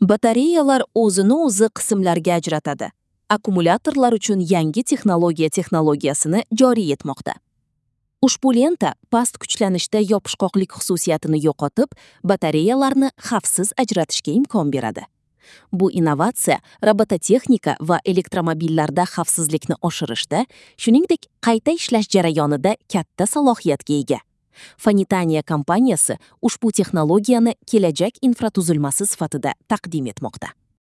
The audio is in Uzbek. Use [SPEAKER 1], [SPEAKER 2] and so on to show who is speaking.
[SPEAKER 1] Batareyalar o'zini o'zi qismlarga ajratadi. Akkumulyatorlar uchun yangi texnologiya texnologiyasini joriy etmoqda. Ushbu lenta past kuchlanishda yopishqoqlik xususiyatini yo'qotib, batareyalarni xavfsiz ajratishga imkon beradi. Bu innovatsiya robototexnika va elektromobillarda xavfsizlikni oshirishda, shuningdek, qayta ishlash jarayonida katta salohiyatga ega. Fanitaniya kompaniyasi ushbu texnologiyani kelajak infratuzilmasi sifatida taqdim etmoqda.